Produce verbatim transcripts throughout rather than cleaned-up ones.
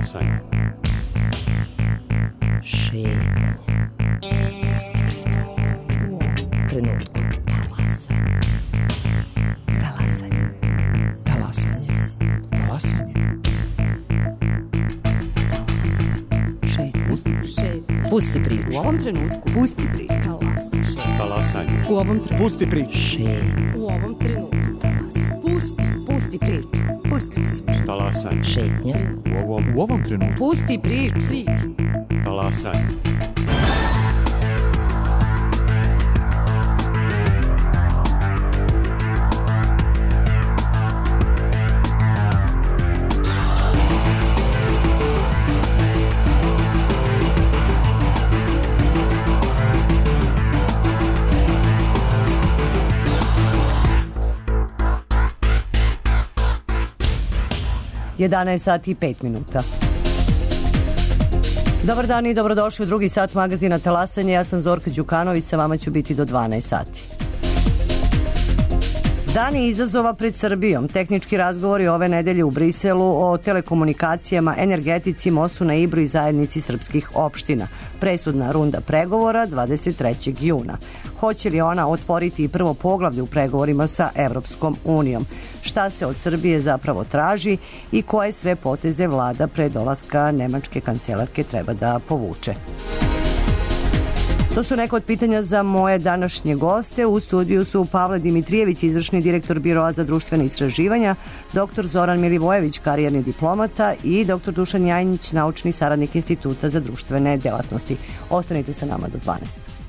Talasanje. Šetnje. Pusti priču. U ovom trenutku. Talasanje. Talasanje. Talasanje. Talasanje. Šetnje. Šetnje. Pusti priču. U ovom trenutku. Pusti priču. Talasanje. U ovom trenutku. Pusti priču. Šetnje. U ovom trenutku. Pusti. Pusti priču. Pusti priču. Talasanje. Šetnje. U ovom, u ovom trenutku. Pusti priču. Priču. Talasanje. jedanaest sati i pet minuta. Dobar dan i dobrodošli u drugi sat magazina Talasanje. Ja sam Zorka Đukanović, sa vama ću biti do dvanaest sati. Dani izazova pred Srbijom. Tehnički razgovori ove nedelje u Briselu o telekomunikacijama, energetici, mostu na Ibru i zajednici srpskih opština. Presudna runda pregovora dvadeset trećeg juna. Hoće li ona otvoriti prvo poglavlje u pregovorima sa Evropskom unijom? Šta se od Srbije zapravo traži i koje sve poteze vlada pre dolaska nemačke kancelarke treba da povuče? To su neka od pitanja za moje današnje goste. U studiju su Pavle Dimitrijević, izvršni direktor Biroa za društvene istraživanja, doktor Zoran Milivojević, karijerni diplomata i doktor Dušan Jajnić, naučni saradnik Instituta za društvene delatnosti. Ostanite sa nama do dvanaest.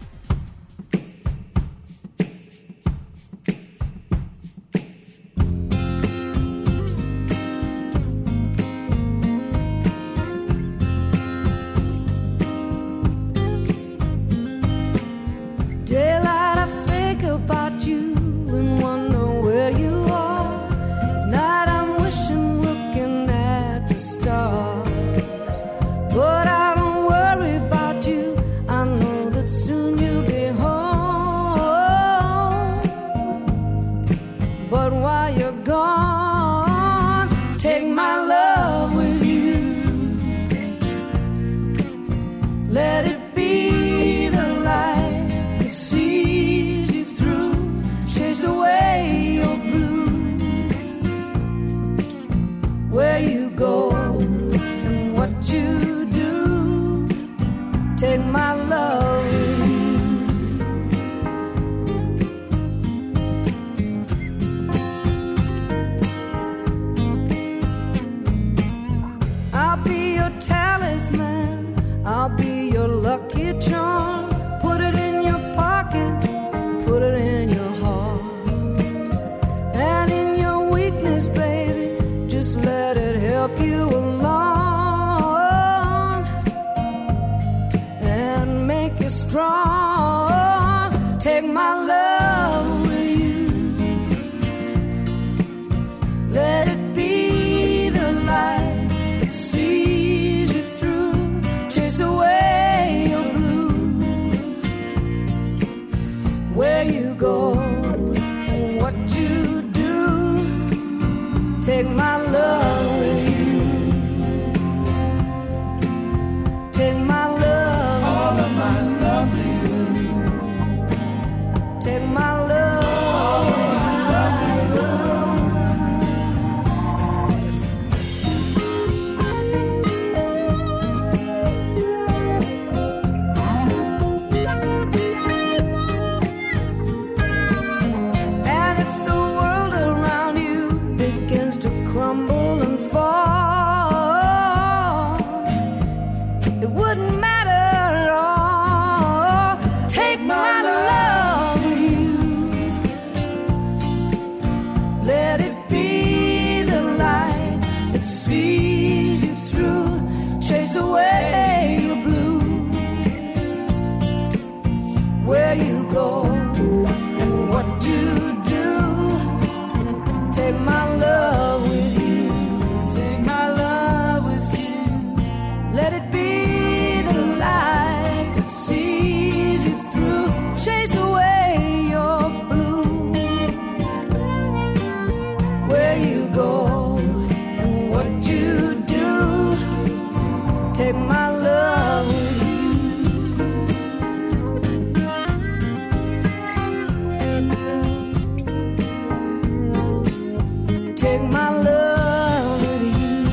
Take my love with you.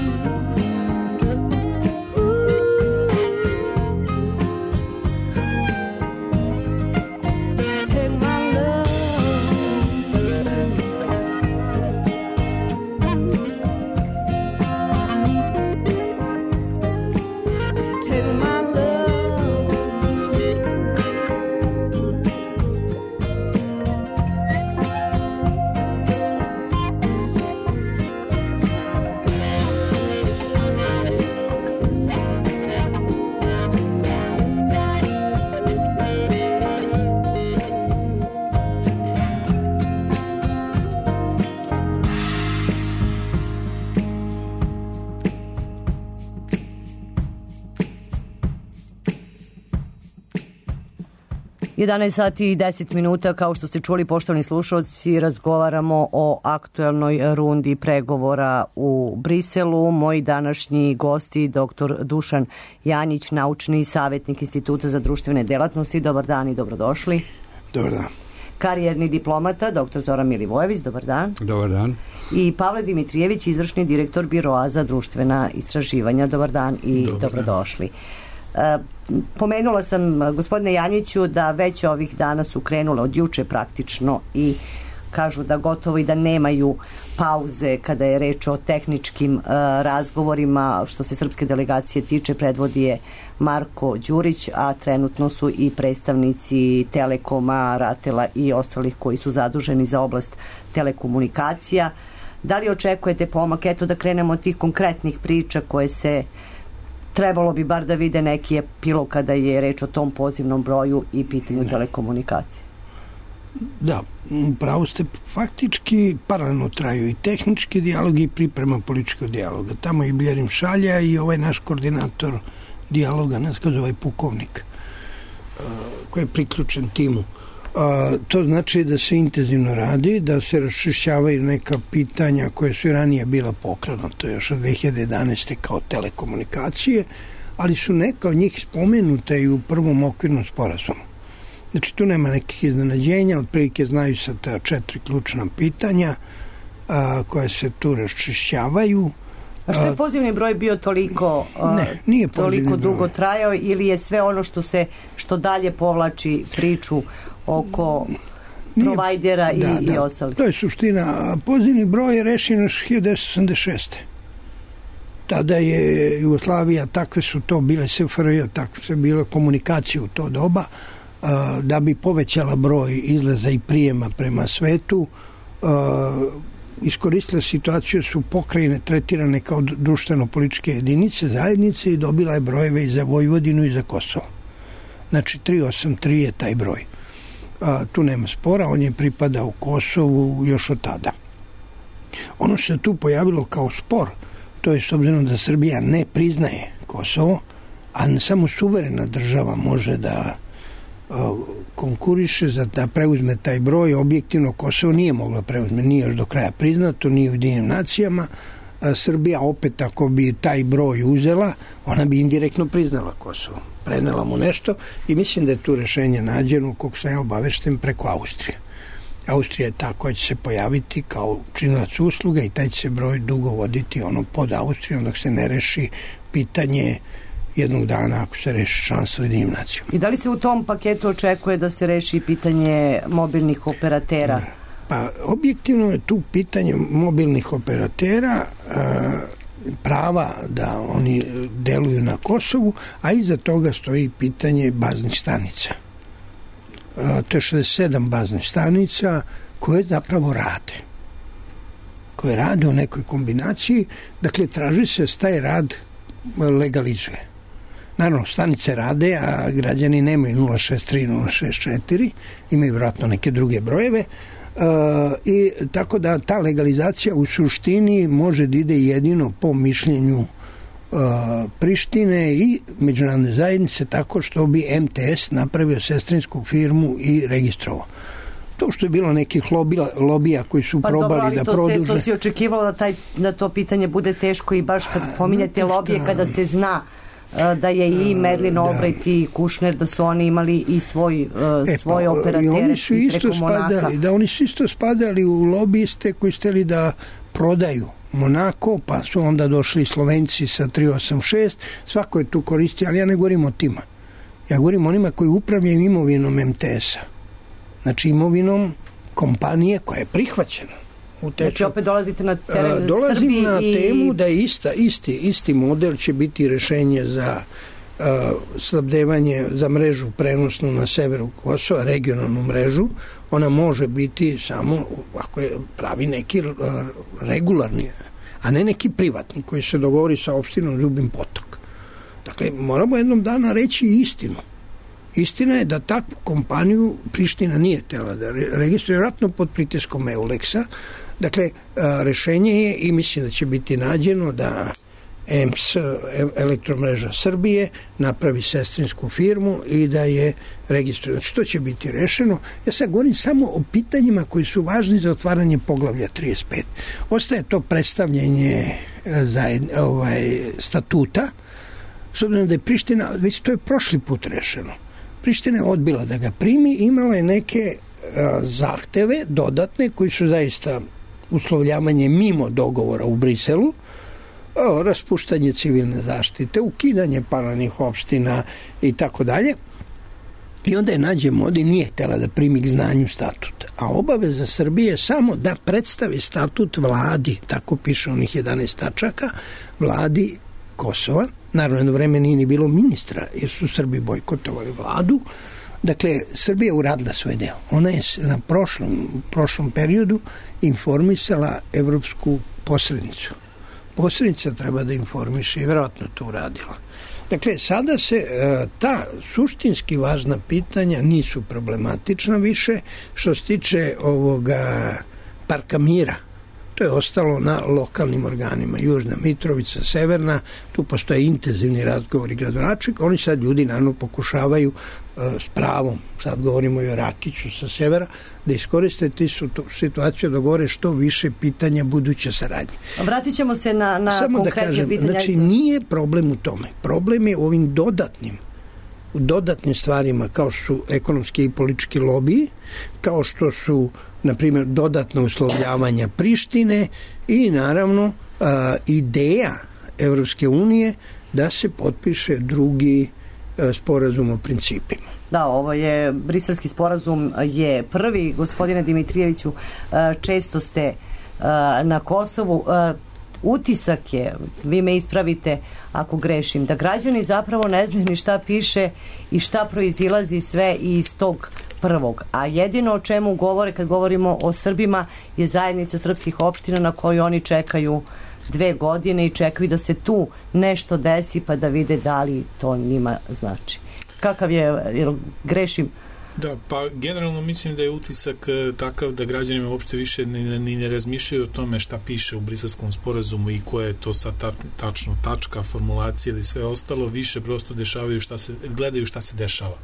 Take my love with you. Take my jedanaest sati i deset minuta, kao što ste čuli, poštovani slušalci, razgovaramo o aktuelnoj rundi pregovora u Briselu. Moji današnji gosti, doktor Dušan Janjić, naučni savjetnik Instituta za društvene delatnosti. Dobar dan i dobrodošli. Dobar dan. Karijerni diplomata, doktor Zoran Milivojević. Dobar dan. Dobar dan. I Pavle Dimitrijević, izvršni direktor Biroa za društvena istraživanja. Dobar dan i Dobar dobrodošli. Dan. Pomenula sam, gospodine Janjiću, da već ovih dana su krenule od juče praktično i kažu da gotovo i da nemaju pauze kada je reč o tehničkim uh, razgovorima. Što se srpske delegacije tiče, predvodi je Marko Đurić, a trenutno su i predstavnici Telekoma, Ratela i ostalih koji su zaduženi za oblast telekomunikacija. Da li očekujete pomak? Eto, da krenemo od tih konkretnih priča koje se trebalo bi bar da vide neki epilog kada je reč o tom pozivnom broju i pitanju da. telekomunikacije. Da, pravo ste, faktički paralelno traju i tehnički dijalog i priprema političkog dijaloga. Tamo je Biljerim Šalja i ovaj naš koordinator dijaloga, ne znam, ovaj pukovnik koji je priključen timu. A, to znači da se intenzivno radi, da se raščišćavaju neka pitanja koje su i ranije bila pokrenuta još od dve hiljade jedanaeste kao telekomunikacije, ali su neka od njih spomenute i u prvom okvirnom sporazumu. Znači tu nema nekih iznenađenja, otprilike znaju se ta četiri ključna pitanja a, koje se tu raščišćavaju. A što je pozivni broj bio toliko, ne, nije toliko dugo broj. trajao, ili je sve ono što se što dalje povlači priču oko nije, provajdera i, da, i da, ostalih? To je suština. Pozivni broj je rešen još hiljadu devetsto osamdeset šeste. Tada je Jugoslavija, takve su to bile S F R J, takve su bile komunikacije u to doba, da bi povećala broj izlaza i prijema prema svetu. Iskoristila situaciju, su pokrajine tretirane kao društveno-političke jedinice, zajednice, i dobila je brojeve i za Vojvodinu i za Kosovo. Znači tri osam tri je taj broj. A, tu nema spora, on je pripadao Kosovu još od tada. Ono što se tu pojavilo kao spor, to je s obzirom da Srbija ne priznaje Kosovo, a samo suverena država može da a, konkuriše za da preuzme taj broj. Objektivno Kosovo nije mogla preuzme, nije još do kraja priznato, nije u Ujedinjenim nacijama. A Srbija opet, ako bi taj broj uzela, ona bi indirektno priznala Kosovo. Prenela mu nešto i mislim da je tu rešenje nađeno, koliko sam ja obavešten, preko Austrije. Austrija je ta koja će se pojaviti kao činilac usluga i taj će se broj dugo voditi ono pod Austrijom dok se ne reši pitanje jednog dana ako se reši članstvo u Ujedinjenim nacijama. I da li se u tom paketu očekuje da se reši pitanje mobilnih operatera? Da. Pa objektivno je tu pitanje mobilnih operatera, a, prava da oni deluju na Kosovu, a iza toga stoji pitanje baznih stanica. A, to je šezdeset sedam baznih stanica koje zapravo rade. Koje rade u nekoj kombinaciji, dakle traži se da taj rad legalizuje. Naravno, stanice rade, a građani nemaju nula šest tri, nula šest četiri, imaju vjerojatno neke druge brojeve, Uh, i tako da ta legalizacija u suštini može da ide jedino po mišljenju uh, Prištine i međunarodne zajednice, tako što bi M T S napravio sestrinsku firmu i registrovao. To što je bilo nekih lobija, lobija koji su pa probali dobro, da to produže. Se, to si očekivalo da, taj, da to pitanje bude teško i baš kad pominjate lobije, kada se zna da je i Medlin Albright i Kušner, da su oni imali i svoj, e, svoje pa, operatere i oni su isto preko Monaka. Spadali, da oni su isto spadali u lobiste koji steli da prodaju Monako, pa su onda došli Slovenci sa tri osam šest, svako je tu koristio, ali ja ne govorim o tima. Ja govorim o onima koji upravljaju imovinom em te es-a. Znači imovinom kompanije koja je prihvaćena. Znači opet dolazite na teren Srbiji. Dolazim na i... temu da je ista, isti, isti model će biti rešenje za uh, snabdevanje za mrežu prenosnu na severu Kosova, regionalnu mrežu. Ona može biti samo ako je pravi neki uh, regularni, a ne neki privatni koji se dogovori sa opštinom Ljubim Potok. Dakle, moramo jednom dana reći istinu. Istina je da takvu kompaniju Priština nije tela da registruje, vjerojatno pod pritiskom Euleksa. Dakle, rešenje je, i mislim da će biti nađeno, da E M S, Elektromreža Srbije, napravi sestrinsku firmu i da je registruje. Znači, to će biti rešeno. Ja sad govorim samo o pitanjima koji su važni za otvaranje poglavlja trideset pet. Ostaje to predstavljanje zajed, ovaj, statuta, s obzirom da je Priština, već to je prošli put rešeno. Priština je odbila da ga primi, imala je neke a, zahteve dodatne koji su zaista uslovljavanje mimo dogovora u Briselu, o, raspuštanje civilne zaštite, ukidanje paralelnih opština i tako dalje. I onda je Nađe Modi nije htjela da primi k znanju statut. A obaveza Srbije je samo da predstavi statut vladi, tako piše onih jedanaest tačaka, vladi Kosova. Naravno, jedno vreme nije ni bilo ministra, jer su Srbi bojkotovali vladu. Dakle, Srbija je uradila svoj deo. Ona je na prošlom, prošlom periodu informisala evropsku posrednicu. Posrednica treba da informiše i vjerojatno to uradila. Dakle, sada se ta suštinski važna pitanja nisu problematična više. Što se tiče ovoga Parka mira, to je ostalo na lokalnim organima. Južna Mitrovica, Severna, tu postoje intenzivni razgovori gradonačelnika. Oni sad ljudi naravno pokušavaju uh, s pravom, sad govorimo i o Rakiću sa severa, da iskoriste ti su tu situaciju da govore što više pitanja buduće saradnje. Vratit ćemo se na, na Samo konkretne da kažem, pitanja. Znači, nije problem u tome. Problem je u ovim dodatnim u dodatnim stvarima kao su ekonomski i politički lobiji, kao što su, na primjer, dodatno uslovljavanja Prištine i naravno a, ideja Evropske unije da se potpiše drugi a, sporazum o principima. Da, ovo je, briselski sporazum je prvi. Gospodine Dimitrijeviću, često ste na Kosovu. Utisak je, vi me ispravite ako grešim, da građani zapravo ne znaju ni šta piše i šta proizilazi sve iz tog prvog. A jedino o čemu govore kad govorimo o Srbima je zajednica srpskih opština na koju oni čekaju dve godine i čekaju da se tu nešto desi pa da vide da li to njima znači. Kakav je, jel grešim? Da, pa generalno mislim da je utisak takav da građanima uopšte više ni, ni ne razmišljaju o tome šta piše u Briselskom sporazumu i koja je to sad ta, tačno tačka, formulacija ili sve ostalo, više prosto dešavaju šta se, gledaju šta se dešava.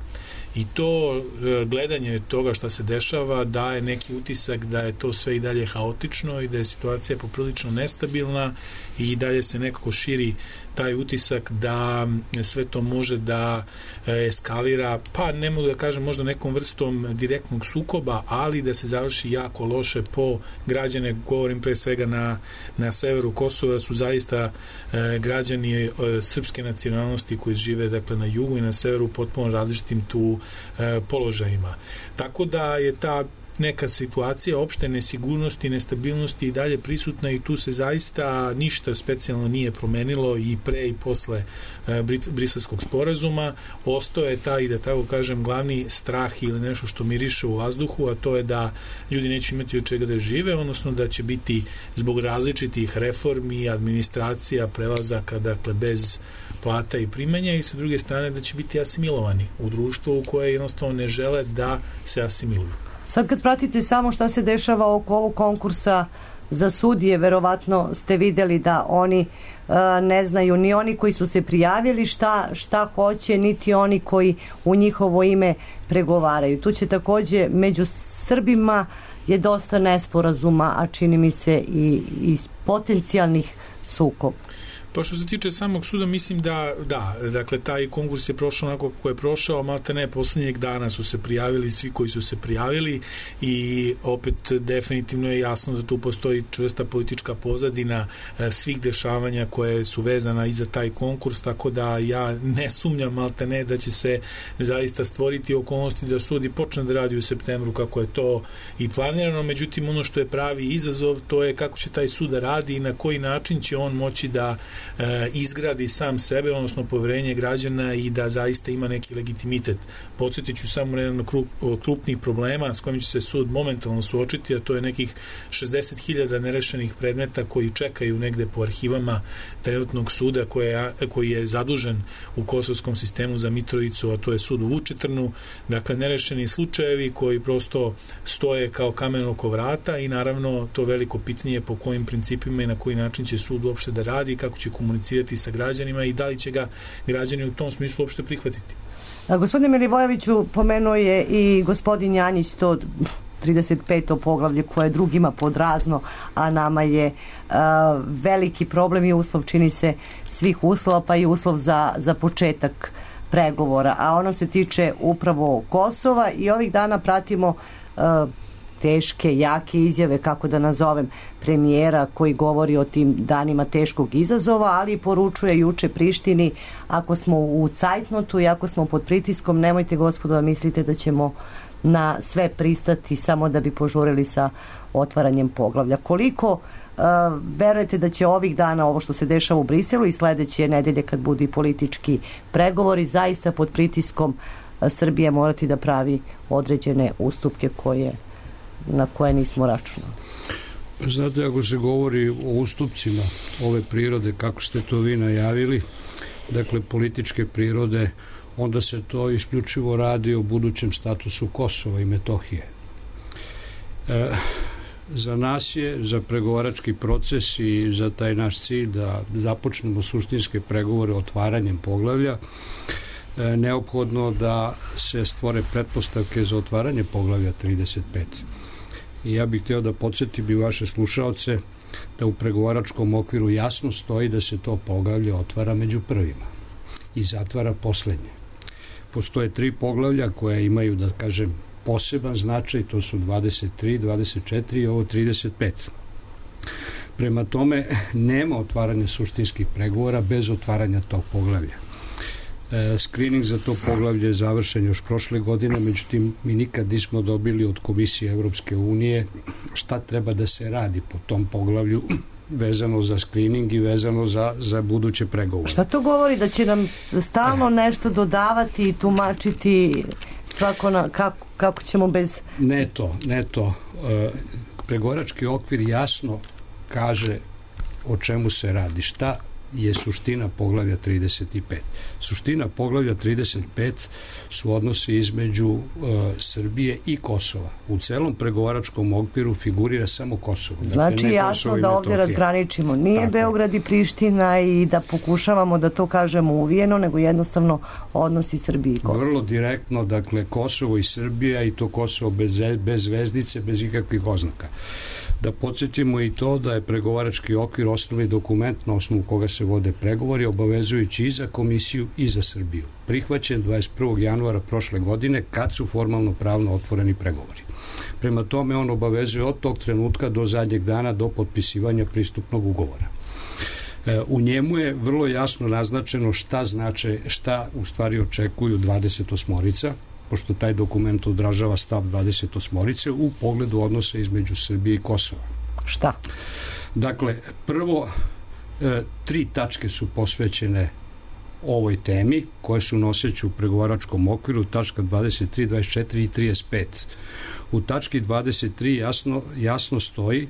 I to gledanje toga šta se dešava daje neki utisak da je to sve i dalje haotično i da je situacija poprilično nestabilna i dalje se nekako širi taj utisak da sve to može da eskalira, pa ne mogu da kažem možda nekom vrstom direktnog sukoba, ali da se završi jako loše po građane, govorim pre svega na, na severu Kosova, su zaista e, građani e, srpske nacionalnosti koji žive dakle na jugu i na severu potpuno različitim tu e, položajima. Tako da je ta neka situacija opšte nesigurnosti, nestabilnosti i dalje prisutna i tu se zaista ništa specijalno nije promenilo i pre i posle e, Briselskog sporazuma. Ostao je taj, da tako kažem, glavni strah ili nešto što miriše u vazduhu, a to je da ljudi neće imati od čega da žive, odnosno da će biti zbog različitih reformi, administracija, prelazaka, dakle bez plata i primanja i sa druge strane da će biti asimilovani u društvu u koje jednostavno ne žele da se asimiluju. Sad kad pratite samo šta se dešava oko ovog konkursa za sudije, verovatno ste videli da oni uh, ne znaju ni oni koji su se prijavili šta, šta hoće, niti oni koji u njihovo ime pregovaraju. Tu će takođe među Srbima je dosta nesporazuma, a čini mi se i, i potencijalnih sukoba. Pa što se tiče samog suda, mislim da, da, dakle, taj konkurs je prošao onako kako je prošao, malte ne, poslednjeg dana su se prijavili svi koji su se prijavili i opet definitivno je jasno da tu postoji čvrsta politička pozadina e, svih dešavanja koje su vezana i za taj konkurs, tako da ja ne sumnjam malte ne da će se zaista stvoriti okolnosti da sud i počne da radi u septembru kako je to i planirano, međutim ono što je pravi izazov to je kako će taj sud da radi i na koji način će on moći da e, izgradi sam sebe, odnosno poverenje građana i da zaista ima neki legitimitet. Podsjetit ću samo jedan krup, krupnih problema s kojim će se sud momentalno suočiti, a to je nekih šezdeset hiljada nerešenih predmeta koji čekaju negde po arhivama trenutnog suda koje, koji je zadužen u kosovskom sistemu za Mitrovicu, a to je sud u Vučitrnu. Dakle, nerešeni slučajevi koji prosto stoje kao kamen oko vrata i naravno to veliko pitanje po kojim principima i na koji način će sud uopšte da radi, kako će komunicirati sa građanima i da li će ga građani u tom smislu uopšte prihvatiti. A, gospodine Milivojeviću, pomenuo je i gospodin Janjić to trideset peto poglavlje koje drugima podrazno, a nama je a, veliki problem i uslov, čini se, svih uslova, pa i uslov za, za početak pregovora, a ono se tiče upravo Kosova i ovih dana pratimo a, teške, jake izjave, kako da nazovem, premijera koji govori o tim danima teškog izazova, ali poručuje juče Prištini, ako smo u cajtnotu i ako smo pod pritiskom, nemojte gospodo da mislite da ćemo na sve pristati samo da bi požurili sa otvaranjem poglavlja. Koliko uh, verujete da će ovih dana ovo što se dešava u Briselu i sledeće nedelje kad budu i politički pregovori, zaista pod pritiskom uh, Srbije morati da pravi određene ustupke koje na koje nismo računali? Znate, ako se govori o ustupcima ove prirode, kako ste to vi najavili, dakle političke prirode, onda se to isključivo radi o budućem statusu Kosova i Metohije. E, za nas je, za pregovarački proces i za taj naš cilj da započnemo suštinske pregovore otvaranjem poglavlja, e, neophodno da se stvore pretpostavke za otvaranje poglavlja trideset pet. I ja bih htio da podsjetim i vaše slušaoce da u pregovaračkom okviru jasno stoji da se to poglavlje otvara među prvima i zatvara poslednje. Postoje tri poglavlja koja imaju, da kažem, poseban značaj, to su dvadeset tri, dvadeset četiri i ovo trideset pet. Prema tome, nema otvaranja suštinskih pregovora bez otvaranja tog poglavlja. E, screening za to poglavlje je završen još prošle godine, međutim mi nikad nismo dobili od Komisije Evropske unije šta treba da se radi po tom poglavlju vezano za screening i vezano za, za buduće pregovore. Šta to govori? Da će nam stalno nešto dodavati i tumačiti svako na, kako, kako ćemo bez... Ne to, ne to. E, pregovarački okvir jasno kaže o čemu se radi, šta je suština poglavlja trideset pet. Suština poglavlja trideset pet su odnosi između uh, Srbije i Kosova. U celom pregovaračkom okviru figurira samo Kosovo. Znači dakle, jasno da ovdje razgraničimo. Nije tako Beograd i Priština i da pokušavamo da to kažemo uvijeno, nego jednostavno odnosi Srbije i Kosova. Vrlo direktno, dakle, Kosovo i Srbija i to Kosovo bez, bez zvezdice, bez ikakvih oznaka. Da podsjetimo i to da je pregovarački okvir osnovni dokument na osnovu koga se vode pregovori, obavezujući i za Komisiju i za Srbiju. Prihvaćen dvadeset prvog januara prošle godine kad su formalno pravno otvoreni pregovori. Prema tome on obavezuje od tog trenutka do zadnjeg dana do potpisivanja pristupnog ugovora. E, u njemu je vrlo jasno naznačeno šta znače, šta u stvari očekuju dvadeset osmorica, pošto taj dokument odražava stav dvadeset osmorice u pogledu odnosa između Srbije i Kosova. Šta? Dakle, prvo, e, tri tačke su posvećene ovoj temi, koje su noseći u pregovaračkom okviru, tačka dvadeset tri, dvadeset četiri i trideset pet. U tački dvadeset tri jasno, jasno stoji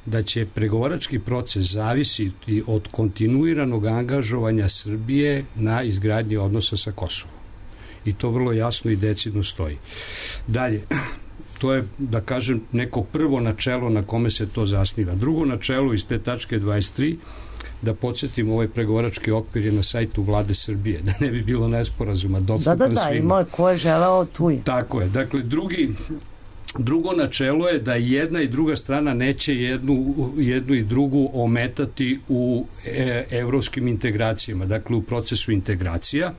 da će pregovarački proces zavisiti od kontinuiranog angažovanja Srbije na izgradnji odnosa sa Kosovom. I to vrlo jasno i decidno stoji. Dalje, to je, da kažem, neko prvo načelo na kome se to zasniva. Drugo načelo iz te tačke dvadeset tri, da podsjetim, ovaj pregovarački okvir je na sajtu Vlade Srbije, da ne bi bilo nesporazuma, dostupan svima. Da, da, da, ima ko je želeo tu je. Tako je. Dakle, drugi, Drugo načelo je da jedna i druga strana neće jednu, jednu i drugu ometati u e, evropskim integracijama, dakle u procesu integracija.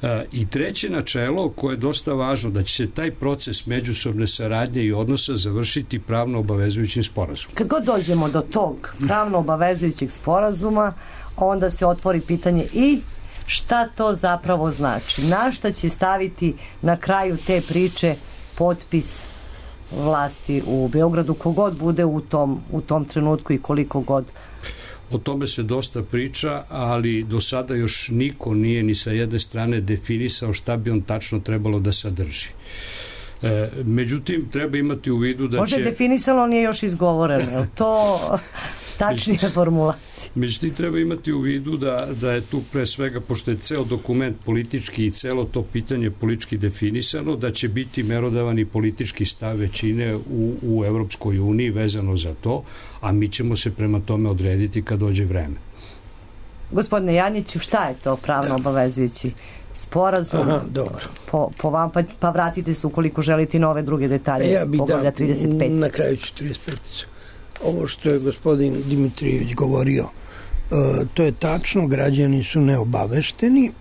E, I treće načelo koje je dosta važno, da će se taj proces međusobne saradnje i odnosa završiti pravno obavezujućim sporazumom. Kad god dođemo do tog pravno obavezujućeg sporazuma, onda se otvori pitanje i šta to zapravo znači? Na šta će staviti na kraju te priče potpis vlasti u Beogradu, kogod bude u tom, u tom trenutku i koliko god? O tome se dosta priča, ali do sada još niko nije ni sa jedne strane definisao šta bi on tačno trebalo da sadrži. E, međutim, treba imati u vidu da Može će... je definisano, nije još izgovoreno. Je to tačnije formulacije? Međutim, treba imati u vidu da, da je tu pre svega, pošto je ceo dokument politički i celo to pitanje politički definisano, da će biti merodavan i politički stav većine u, u Evropskoj uniji vezano za to, a mi ćemo se prema tome odrediti kad dođe vreme. Gospodine Janjiću, šta je to pravno obavezujući sporazum? Aha, dobro. Po, po vam, pa, pa vratite se ukoliko želite nove druge detalje. Ja bih poglavlja da, trideset pet. na kraju ću trideset pet. Ovo što je gospodin Dimitrijević govorio, e, to je tačno, građani su neobavešteni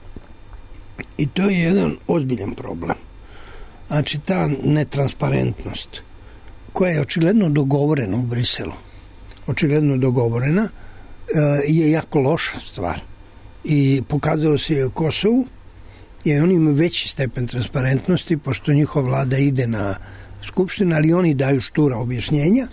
i to je jedan ozbiljan problem. Znači, ta netransparentnost koja je očigledno dogovorena u Briselu, očigledno dogovorena, e, je jako loša stvar. I pokazalo se u Kosovu, jer oni imaju veći stepen transparentnosti, pošto njihova vlada ide na skupštinu, ali oni daju štura objašnjenja,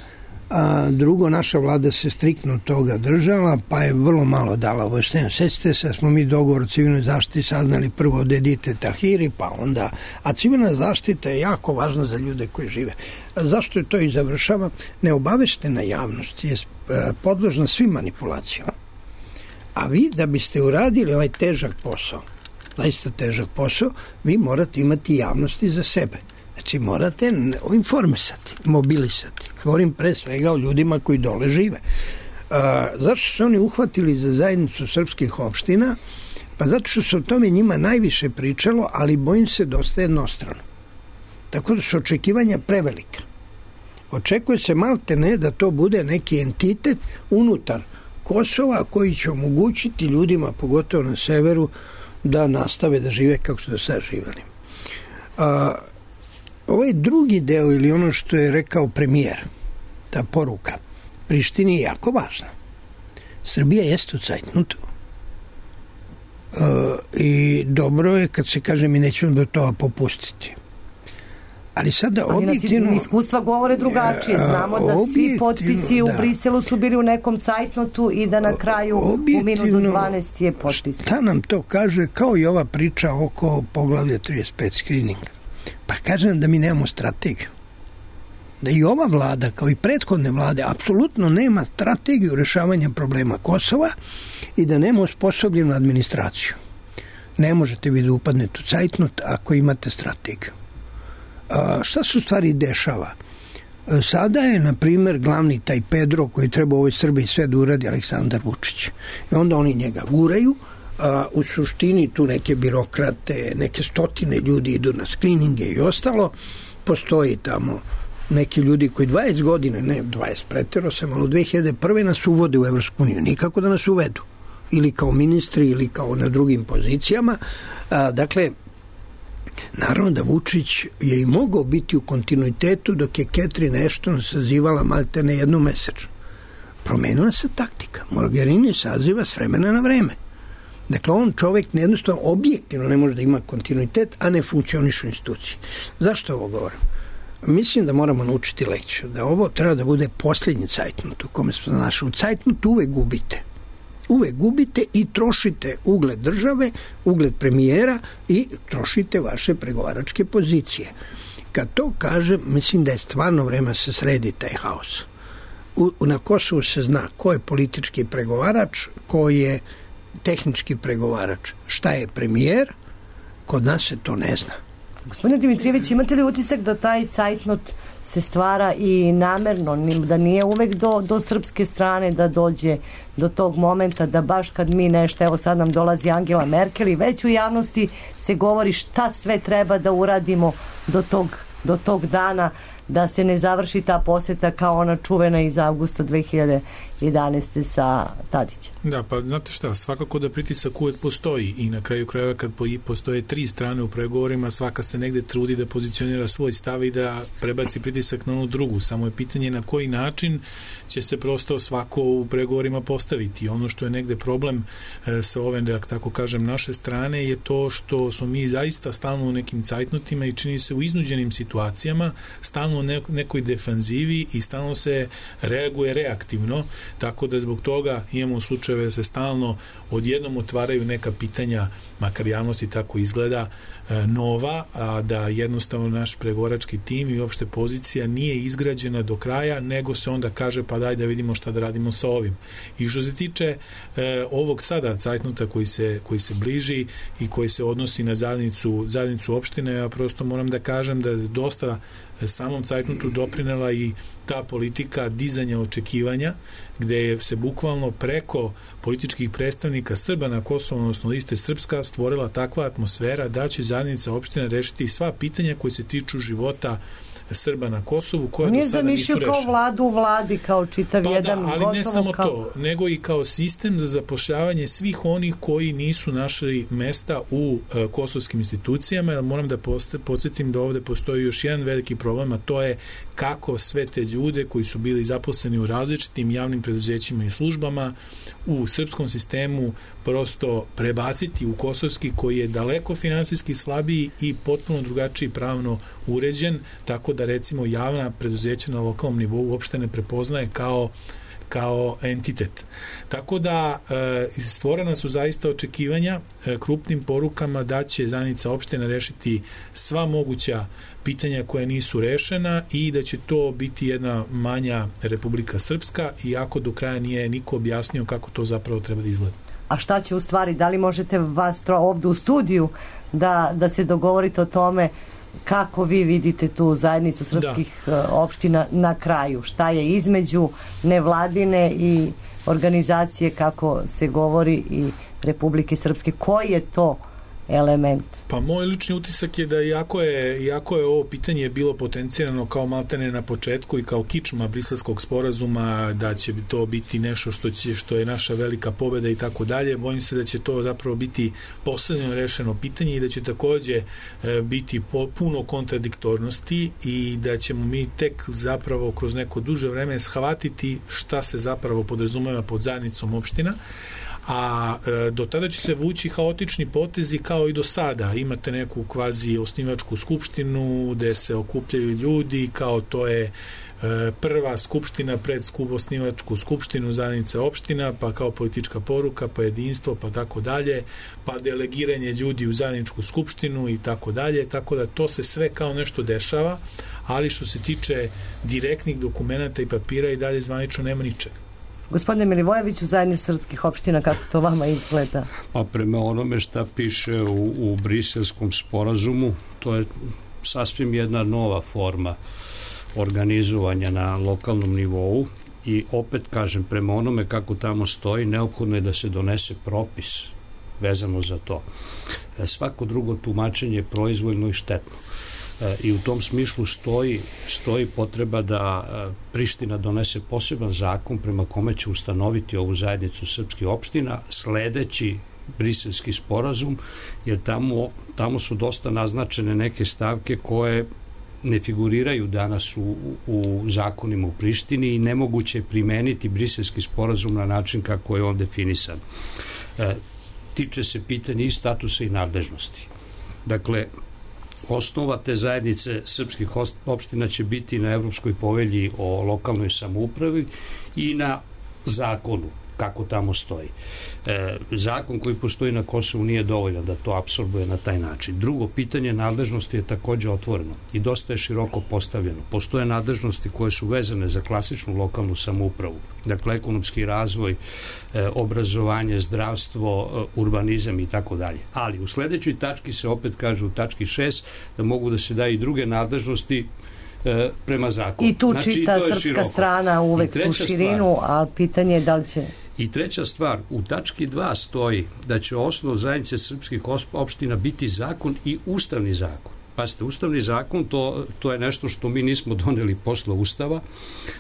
a drugo, naša vlada se striktno toga držala, pa je vrlo malo dala objašnjenja. Sjećate se, smo mi dogovor o civilnoj zaštiti saznali prvo od Edite Tahiri, pa onda, a civilna zaštita je jako važna za ljude koji žive. A zašto je to i završava? Neobaveštena javnost je podložna svim manipulacijama. A vi, da biste uradili ovaj težak posao, zaista težak posao, vi morate imati javnosti za sebe. Znači, morate informisati, mobilisati. Govorim pre svega o ljudima koji dole žive. A, zašto su oni uhvatili za zajednicu srpskih opština? Pa zato što se o tome njima najviše pričalo, ali bojim se dosta jednostrano. Tako da su očekivanja prevelika. Očekuje se malte ne da to bude neki entitet unutar Kosova koji će omogućiti ljudima, pogotovo na severu, da nastave da žive kako su do sada živeli. A, ovaj drugi deo ili ono što je rekao premijer, ta poruka Prištini je jako važna. Srbija jeste u cajtnutu e, i dobro je kad se kaže mi nećemo do toga popustiti. Ali sada ali objektivno... Ali iskustva govore drugačije. Znamo da svi potpisi u da. Briselu su bili u nekom cajtnotu i da na kraju u minutu dvanaest je potpis. Šta nam to kaže, kao i ova priča oko poglavlja trideset pet screeninga? Pa kaže nam da mi nemamo strategiju. Da i ova vlada, kao i prethodne vlade, apsolutno nema strategiju rešavanja problema Kosova i da nema osposobljenu administraciju. Ne možete vi da upadnete u cajtnot ako imate strategiju. A, šta se u stvari dešava? Sada je, na primjer, glavni taj Pedro koji treba u ovoj Srbiji sve da uradi Aleksandar Vučić. I onda oni njega guraju, a u suštini tu neke birokrate, neke stotine ljudi idu na skrininge i ostalo. Postoji tamo neki ljudi koji dvadeset godina, ne dvadeset, pretero sam, ali u dve hiljade prve nas uvode u Evropsku uniju. Nikako da nas uvedu. Ili kao ministri, ili kao na drugim pozicijama. A, dakle, naravno da Vučić je i mogao biti u kontinuitetu dok je Catherine Ashton sazivala maltene jednu mesečno. Promenila se taktika. Mogherini saziva s vremena na vreme. Dakle, on čovjek jednostavno objektivno ne može da ima kontinuitet, a ne funkcioniše u instituciji. Zašto ovo govorim? Mislim da moramo naučiti lekciju, da ovo treba da bude posljednji cajtnut u kome smo našli. U cajtnutu uvek gubite. Uvek gubite i trošite ugled države, ugled premijera i trošite vaše pregovaračke pozicije. Kad to kažem, mislim da je stvarno vreme da se sredi taj haos. U, na Kosovu se zna ko je politički pregovarač, ko je tehnički pregovarač. Šta je premijer? Kod nas se to ne zna. Gospodine Dimitrijević, imate li utisak da taj cajtnot se stvara i namerno, da nije uvek do, do srpske strane da dođe do tog momenta da baš kad mi nešto, evo sad nam dolazi Angela Merkel i već u javnosti se govori šta sve treba da uradimo do tog, do tog dana, da se ne završi ta poseta kao ona čuvena iz avgusta dve hiljade jedanaeste. sa Tadićem. Da, pa znate šta, svakako da pritisak uvek postoji i na kraju krajeva kad postoje tri strane u pregovorima, svaka se negde trudi da pozicionira svoj stav i da prebaci pritisak na onu drugu. Samo je pitanje na koji način će se prosto svako u pregovorima postaviti. Ono što je negde problem e, sa ove, da tako kažem, naše strane je to što smo mi zaista stalno u nekim cajtnotima i čini se u iznuđenim situacijama, stalno u nekoj defanzivi i stalno se reaguje reaktivno, tako da zbog toga imamo slučajeve da se stalno odjednom otvaraju neka pitanja, makar javnosti tako izgleda, nova, a da jednostavno naš pregovarački tim i uopšte pozicija nije izgrađena do kraja, nego se onda kaže pa daj da vidimo šta da radimo sa ovim. I što se tiče e, ovog sada cajtnuta koji se, koji se bliži i koji se odnosi na zajednicu, zajednicu opštine, ja prosto moram da kažem da je dosta samom cajtnutu doprinela i ta politika dizanja očekivanja, gde se bukvalno preko političkih predstavnika Srba na Kosovu, odnosno liste Srpska, stvorila takva atmosfera da će zajednica opština rešiti sva pitanja koje se tiču života Srba na Kosovu, koja do sada nisu rešena. Nije zamišljio kao vladu u vladi, kao čitav pa jedan da, ali gotovo ne samo kao... to, nego i kao sistem za zapošljavanje svih onih koji nisu našli mesta u uh, kosovskim institucijama, jer moram da podsjetim da ovde postoji još jedan veliki problem, a to je kako sve te ljude koji su bili zaposleni u različitim javnim preduzećima i službama u srpskom sistemu prosto prebaciti u kosovski, koji je daleko finansijski slabiji i potpuno drugačiji pravno uređen, tako da recimo javna preduzeća na lokalnom nivou uopšte ne prepoznaje kao kao entitet. Tako da e, stvorena su zaista očekivanja e, krupnim porukama da će zajednica opština rešiti sva moguća pitanja koja nisu rešena i da će to biti jedna manja Republika Srpska, iako do kraja nije niko objasnio kako to zapravo treba da izgleda. A šta će u stvari, da li možete vas tro, ovde u studiju da, da se dogovorite o tome kako vi vidite tu zajednicu srpskih da. opština na kraju? Šta je između nevladine i organizacije, kako se govori, i Republike Srpske? Koji je to element? Pa moj lični utisak je da iako je, iako je ovo pitanje bilo potencirano kao maltene na početku i kao kičma briselskog sporazuma, da će to biti nešto što će, što je naša velika pobeda i tako dalje, bojim se da će to zapravo biti poslednje rešeno pitanje i da će takođe e, biti po, puno kontradiktornosti i da ćemo mi tek zapravo kroz neko duže vreme shvatiti šta se zapravo podrazumeva pod zajednicom opština, a e, do tada će se vući haotični potezi kao i do sada. Imate neku kvazi osnivačku skupštinu gde se okupljaju ljudi, kao to je e, prva skupština pred skup, osnivačku skupštinu zajednice opština, pa kao politička poruka, pa jedinstvo, pa tako dalje, pa delegiranje ljudi u zajedničku skupštinu i tako dalje, tako da to se sve kao nešto dešava, ali što se tiče direktnih dokumenata i papira i dalje zvanično nema ničega. Gospodine Milivojeviću, zajednica srpskih opština, kako to vama izgleda? Pa prema onome šta piše u, u briselskom sporazumu, to je sasvim jedna nova forma organizovanja na lokalnom nivou i opet kažem, prema onome kako tamo stoji, neophodno je da se donese propis vezano za to. Svako drugo tumačenje je proizvoljno i štetno. I u tom smislu stoji, stoji potreba da Priština donese poseban zakon prema kome će ustanoviti ovu zajednicu srpskih opština sledeći briselski sporazum, jer tamo, tamo su dosta naznačene neke stavke koje ne figuriraju danas u, u zakonima u Prištini i nemoguće je primeniti briselski sporazum na način kako je on definisan. E, tiče se pitanja i statusa i nadležnosti. Dakle, osnova te zajednice srpskih opština će biti na Evropskoj povelji o lokalnoj samoupravi i na zakonu kako tamo stoji. E, zakon koji postoji na Kosovu nije dovoljan da to apsorbuje na taj način. Drugo, pitanje nadležnosti je takođe otvoreno i dosta je široko postavljeno. Postoje nadležnosti koje su vezane za klasičnu lokalnu samoupravu, dakle ekonomski razvoj, e, obrazovanje, zdravstvo, e, urbanizam i tako dalje. Ali u sledećoj tački se opet kaže u tački šest da mogu da se daju i druge nadležnosti e, prema zakonu. I tu znači, čita srpska široko. Strana uvek tu širinu, stvar, a pitanje je da li će... I treća stvar, u tački dva stoji da će osnov zajednice srpskih opština biti zakon i ustavni zakon. Pazite, ustavni zakon to, to je nešto što mi nismo doneli posle Ustava,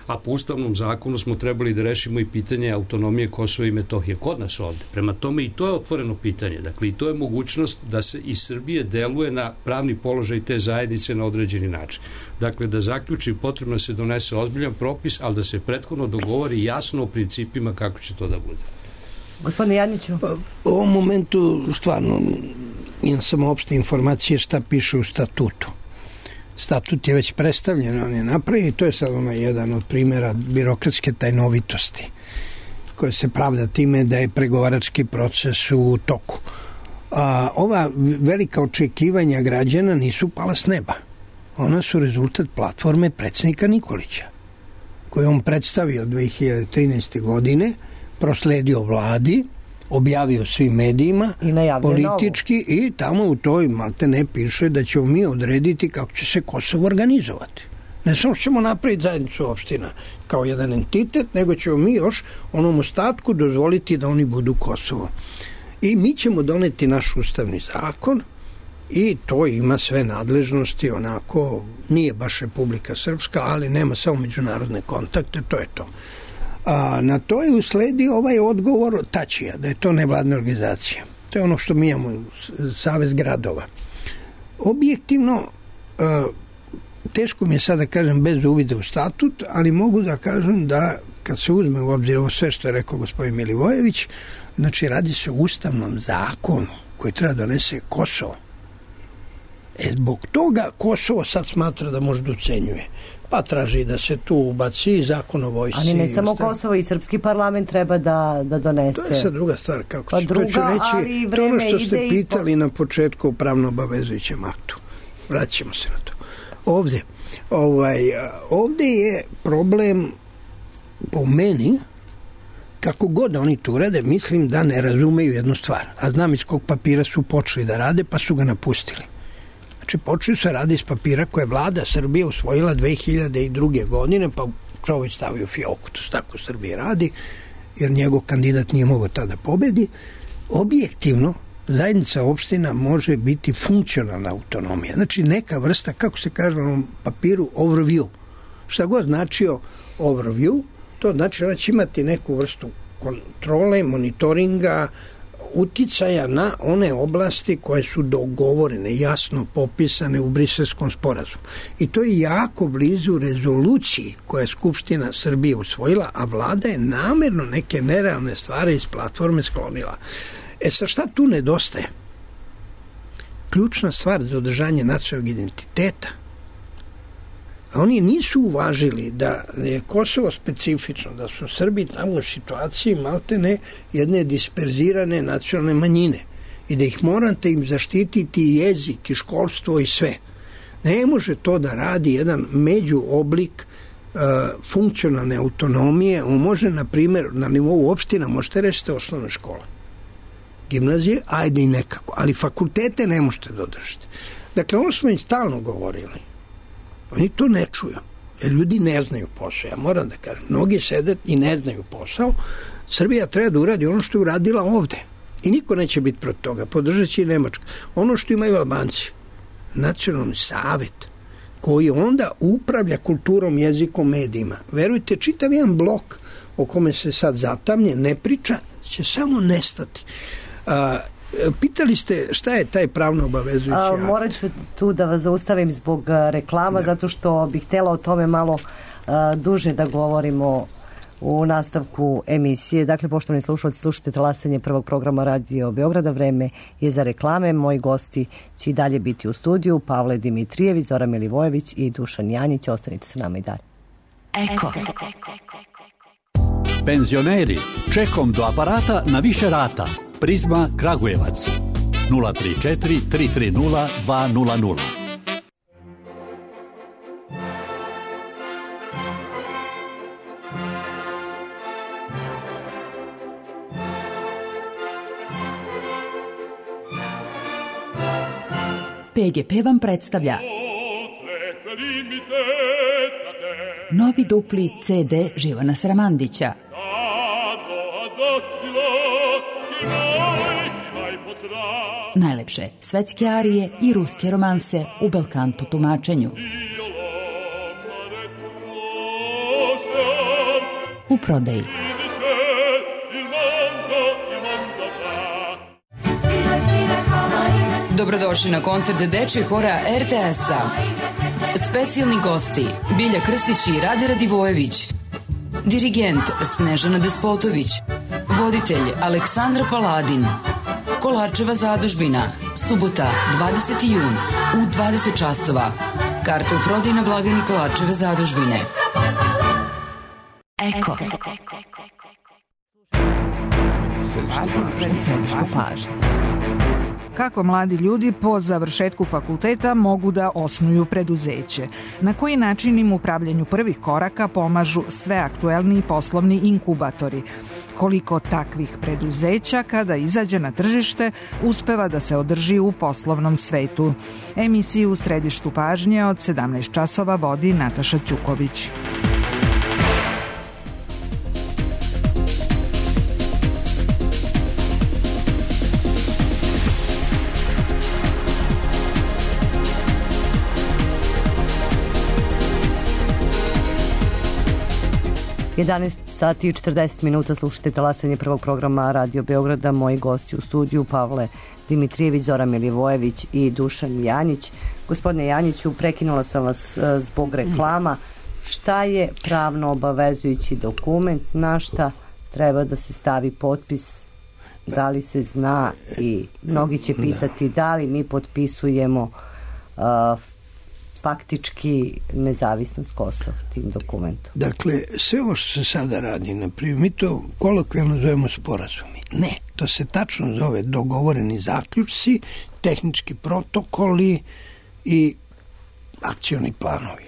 a po ustavnom zakonu smo trebali da rešimo i pitanje autonomije Kosova i Metohije kod nas ovde. Prema tome i to je otvoreno pitanje. Dakle, i to je mogućnost da se iz Srbije deluje na pravni položaj te zajednice na određeni način. Dakle, da zaključi, potrebno da se donese ozbiljan propis, ali da se prethodno dogovori jasno o principima kako će to da bude. Gospodine Janjiću? Pa, u ovom momentu stvarno imam samo opšte informacije šta piše u statutu. Statut je već predstavljen, on je napravljen i to je sad ono jedan od primjera birokratske tajnovitosti koja se pravda time da je pregovarački proces u toku. A, ova velika očekivanja građana nisu pala s neba. Ona su rezultat platforme predsjednika Nikolića, koju on predstavio dve hiljade trinaeste. godine, prosledio vladi, objavio svim medijima, politički novu. I tamo u toj malte ne piše da ćemo mi odrediti kako će se Kosovo organizovati. Ne samo što ćemo napraviti zajednicu opština kao jedan entitet, nego ćemo mi još onom ostatku dozvoliti da oni budu Kosovo. I mi ćemo doneti naš ustavni zakon i to ima sve nadležnosti, onako nije baš Republika Srpska, ali nema samo međunarodne kontakte, to je to. A na to je usledio ovaj odgovor Tačija, da je to nevladna organizacija. To je ono što mi imamo, Savez gradova. Objektivno, teško mi je sad da kažem bez uvida u statut, ali mogu da kažem da kad se uzme u obzir ovo sve što je rekao gospodin Milivojević, znači radi se o ustavnom zakonu koji treba donese Kosovo. E, zbog toga Kosovo sad smatra da može da ucenjuje. Pa traži da se tu ubaci zakon o vojsci. Ali ne samo Kosovo, i srpski parlament treba da, da donese. To je sad druga stvar. Kako pa će, druga, to ću reći, to ono što ste pitali po... na početku o pravno obavezujućem aktu. Vraćamo se na to. Ovde, ovaj, ovde je problem po meni, kako god oni tu rade, mislim da ne razumeju jednu stvar. A znam iz kog papira su počeli da rade, pa su ga napustili. Znači, počeli se radi iz papira koje je vlada Srbije usvojila dve hiljade druge. godine, pa čovjek stavio u fioku. To se tako Srbije radi, jer njegov kandidat nije mogao tada pobedi. Objektivno, zajednica opština može biti funkcionalna autonomija. Znači, neka vrsta, kako se kaže na onom papiru, overview. Šta god značio overview, to znači da će imati neku vrstu kontrole, monitoringa, uticaja na one oblasti koje su dogovorene, jasno popisane u Briselskom sporazumu. I to je jako blizu rezoluciji koje je Skupština Srbije usvojila, a vlada je namerno neke nerealne stvari iz platforme sklonila. E sa šta tu nedostaje? Ključna stvar za održanje nacionalnog identiteta. Oni nisu uvažili da je Kosovo specifično, da su Srbi tamo u situaciji maltene jedne disperzirane nacionalne manjine i da ih morate im zaštititi jezik i školstvo i sve. Ne može to da radi jedan međuoblik uh, funkcionalne autonomije. On može, na primjer, na nivou opština možete rešiti osnovne škole. Gimnazije, ajde i nekako, ali fakultete ne možete dodržati. Dakle, ono smo im stalno govorili. Oni to ne čuju, jer ljudi ne znaju posao. Ja moram da kažem, mnogi sede i ne znaju posao. Srbija treba da uradi ono što je uradila ovde. I niko neće biti protiv toga. Podržat će i Nemačka. Ono što imaju Albanci, nacionalni savet, koji onda upravlja kulturom, jezikom, medijima. Verujte, čitav jedan blok o kome se sad zatamnje, ne priča, će samo nestati. A, pitali ste šta je taj pravno obavezujući akt? Morat ću tu da vas zaustavim zbog reklama, da. zato što bih htjela o tome malo a, duže da govorimo u nastavku emisije. Dakle, poštovani slušalci, slušate Talasanje prvog programa Radio Beograda. Vreme je za reklame. Moji gosti će i dalje biti u studiju. Pavle Dimitrijević, Zoran Milivojević i Dušan Janjić. Ostanite sa nama i dalje. Eko. Penzioneri, čekom do aparata na više rata. Prizma Kragujevac nula tri četiri tri tri nula dva nula nula. P G P vam predstavlja novi dupli C D Živana Sramandića. Najlepše svetske arije i ruske romanse u belkanto tumačenju. U prodaji. Dobrodošli na koncert dečjeg hora er te es-a. Specijalni gosti Bilja Krstić i Rade Radivojević. Dirigent Snežana Despotović. Voditelj Aleksandra Paladin. Kolarčeva zadužbina. Subota, dvadeseti jun u dvadeset časova. Karte u prodaji na blagajni Kolarčeve zadužbine. Eko. Središte pažnje. Kako mladi ljudi po završetku fakulteta mogu da osnuju preduzeće? Na koji način im u pravljenju prvih koraka pomažu sve aktuelni poslovni inkubatori? Koliko takvih preduzeća kada izađe na tržište uspeva da se održi u poslovnom svetu? Emisiju u središtu pažnje od sedamnaest časova vodi Nataša Ćuković. jedanaest sati i četrdeset minuta, slušate talasanje prvog programa Radio Beograda. Moji gosti u studiju Pavle Dimitrijević, Zoran Milivojević i Dušan Janjić. Gospodine Janjiću, prekinula sam vas zbog reklama. Šta je pravno obavezujući dokument? Na šta treba da se stavi potpis? Da li se zna? I mnogi će pitati da li mi potpisujemo uh, faktički nezavisnost Kosova tim dokumentom. Dakle, sve ovo što se sada radi, naprimjer, mi to kolokvijalno zovemo sporazumi. Ne, to se tačno zove dogovoreni zaključci, tehnički protokoli i akcioni planovi.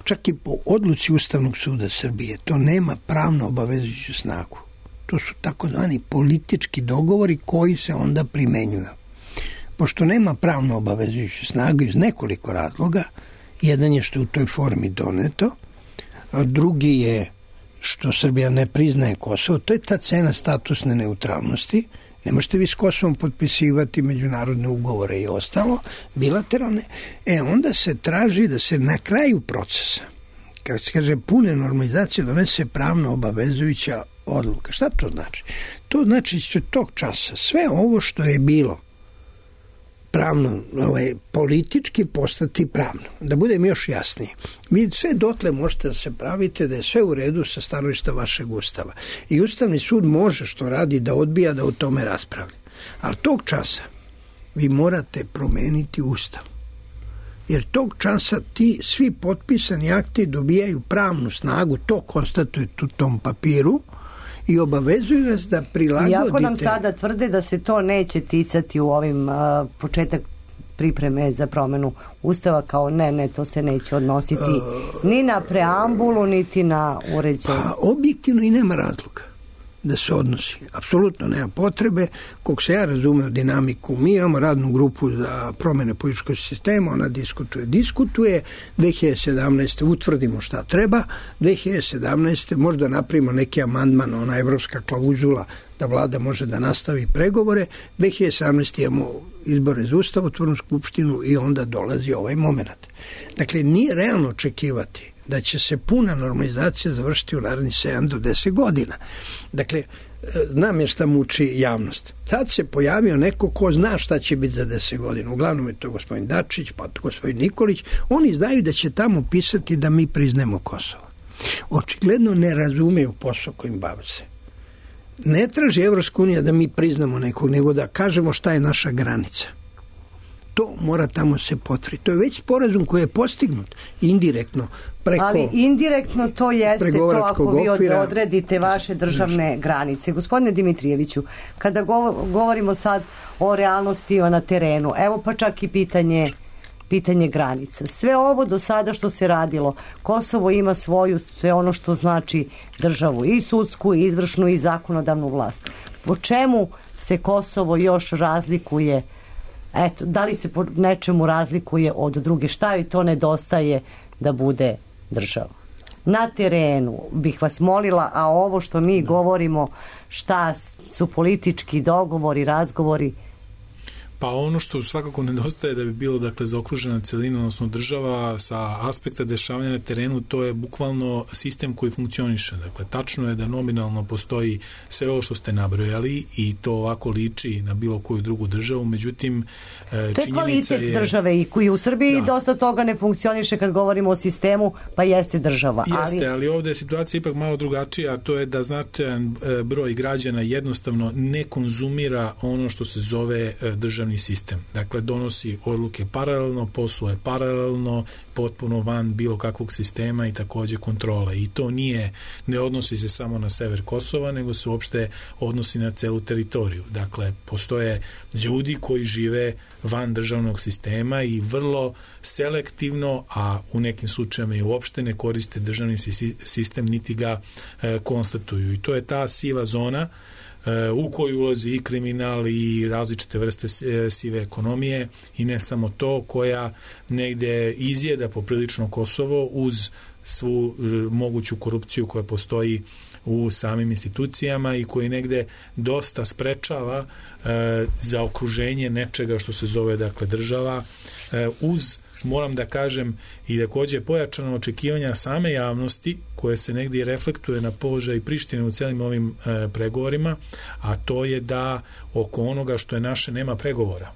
Čak i po odluci Ustavnog suda Srbije to nema pravno obavezujuću snagu. To su takozvani politički dogovori koji se onda primenjuju. Pošto nema pravno obavezujuću snagu iz nekoliko razloga, jedan je što je u toj formi doneto, a drugi je što Srbija ne priznaje Kosovo, to je ta cena statusne neutralnosti. Ne možete vi s Kosovom potpisivati međunarodne ugovore i ostalo, bilateralne. E, onda se traži da se na kraju procesa, kako se kaže, pune normalizacije, donese pravno obavezujuća odluka. Šta to znači? To znači da će tog časa sve ovo što je bilo pravno, ovaj, politički postati pravno. Da budem još jasniji. Vi sve dotle možete da se pravite da je sve u redu sa stanovišta vašeg Ustava. I Ustavni sud može što radi da odbija da o tome raspravlja. Ali tog časa vi morate promeniti Ustav. Jer tog časa ti svi potpisani akti dobijaju pravnu snagu, to konstatuje u tom papiru, i obavezuju nas da prilagodite. Iako nam sada tvrde da se to neće ticati u ovim uh, početak pripreme za promenu Ustava, kao ne, ne, to se neće odnositi uh, ni na preambulu, niti na uređenje. Pa objektivno i nema razloga da se odnosi. Apsolutno nema potrebe. Koliko se ja razumeo dinamiku, mi imamo radnu grupu za promene političkog sistema, ona diskutuje, diskutuje, dve hiljade sedamnaeste utvrdimo šta treba, dve hiljade sedamnaeste možda napravimo neki amandman, ona evropska klauzula da vlada može da nastavi pregovore, dve hiljade sedamnaeste imamo izbore za Ustavotvornu skupštinu i onda dolazi ovaj moment. Dakle, nije realno očekivati da će se puna normalizacija završiti u narednih sedam do deset godina. Dakle, znam je šta muči javnost. Sad se pojavio neko ko zna šta će biti za deset godina. Uglavnom je to gospodin Dačić, pa to gospodin Nikolić. Oni znaju da će tamo pisati da mi priznemo Kosovo. Očigledno ne razumeju posao kojim bave se. Ne traži Evropska unija da mi priznamo nekog, nego da kažemo šta je naša granica. To mora tamo se potvrditi. To je već sporazum koji je postignut indirektno preko... Ali indirektno to jeste to ako vi okvira, odredite vaše državne granice. Gospodine Dimitrijeviću, kada govorimo sad o realnosti na terenu, evo pa čak i pitanje, pitanje granica. Sve ovo do sada što se radilo, Kosovo ima svoju, sve ono što znači državu, i sudsku, i izvršnu, i zakonodavnu vlast. Po čemu se Kosovo još razlikuje? Eto, da li se po nečemu razlikuje od druge? Šta joj to nedostaje da bude država? Na terenu bih vas molila, a ovo što mi govorimo, šta su politički dogovori, razgovori? Pa ono što svakako nedostaje da bi bilo dakle zaokružena celina, odnosno država sa aspekta dešavanja na terenu, to je bukvalno sistem koji funkcioniše. Dakle, tačno je da nominalno postoji sve ovo što ste nabrojali i to ovako liči na bilo koju drugu državu, međutim to je činjenica kvalitet je... države i koji u Srbiji da. dosta toga ne funkcioniše kad govorimo o sistemu, pa jeste država. Jeste, ali, ali ovde je situacija ipak malo drugačija, a to je da značajan broj građana jednostavno ne konzumira ono što se zove državni sistem. Dakle, donosi odluke paralelno, posluje paralelno, potpuno van bilo kakvog sistema i takođe kontrole. I to nije, ne odnosi se samo na sever Kosova, nego se uopšte odnosi na celu teritoriju. Dakle, postoje ljudi koji žive van državnog sistema i vrlo selektivno, a u nekim slučajevima i uopšte ne koriste državni sistem, niti ga e, konstatuju. I to je ta siva zona u koju ulazi i kriminal i različite vrste sive ekonomije i ne samo to, koja negde izjeda poprilično Kosovo uz svu moguću korupciju koja postoji u samim institucijama i koji negde dosta sprečava e, za okruženje nečega što se zove dakle država, e, uz moram da kažem i takođe pojačano očekivanja same javnosti koje se negdje reflektuje na položaj Prištine u celim ovim e, pregovorima, a to je da oko onoga što je naše nema pregovora.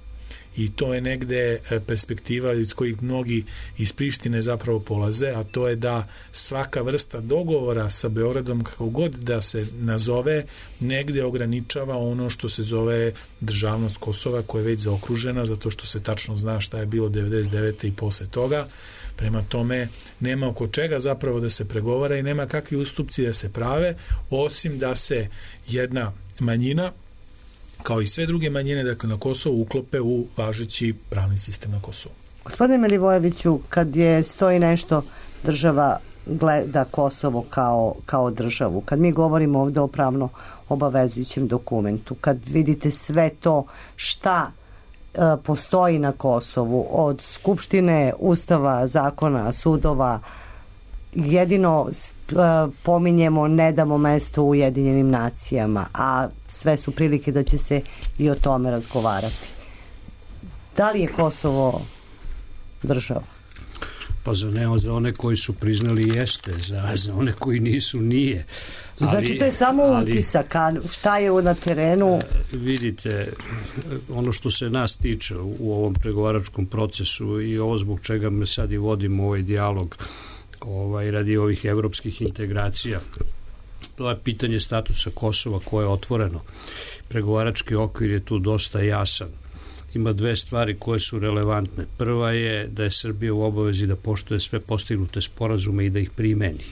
I to je negde perspektiva iz kojih mnogi iz Prištine zapravo polaze, a to je da svaka vrsta dogovora sa Beogradom, kako god da se nazove, negde ograničava ono što se zove državnost Kosova, koja je već zaokružena, zato što se tačno zna šta je bilo devedeset devete i posle toga. Prema tome, nema oko čega zapravo da se pregovara i nema kakvi ustupci da se prave, osim da se jedna manjina, kao i sve druge manjine, dakle, na Kosovu, uklope u važeći pravni sistem na Kosovu. Gospodine Milivojeviću, kad je stoji nešto, država gleda Kosovo kao, kao državu, kad mi govorimo ovde o pravno obavezujućem dokumentu, kad vidite sve to šta e, postoji na Kosovu, od Skupštine, Ustava, zakona, sudova, jedino e, pominjemo ne damo mesto u Ujedinjenim nacijama, a sve su prilike da će se i o tome razgovarati. Da li je Kosovo država? Pa za ne, za one koji su priznali jeste, za, za one koji nisu nije. Ali, znači to je samo ali, utisak, a šta je na terenu? Vidite, ono što se nas tiče u ovom pregovaračkom procesu i ovo zbog čega me sad i vodimo ovaj dijalog ovaj, radi ovih evropskih integracija, to je pitanje statusa Kosova koje je otvoreno. Pregovarački okvir je tu dosta jasan. Ima dve stvari koje su relevantne. Prva je da je Srbija u obavezi da poštuje sve postignute sporazume i da ih primeni.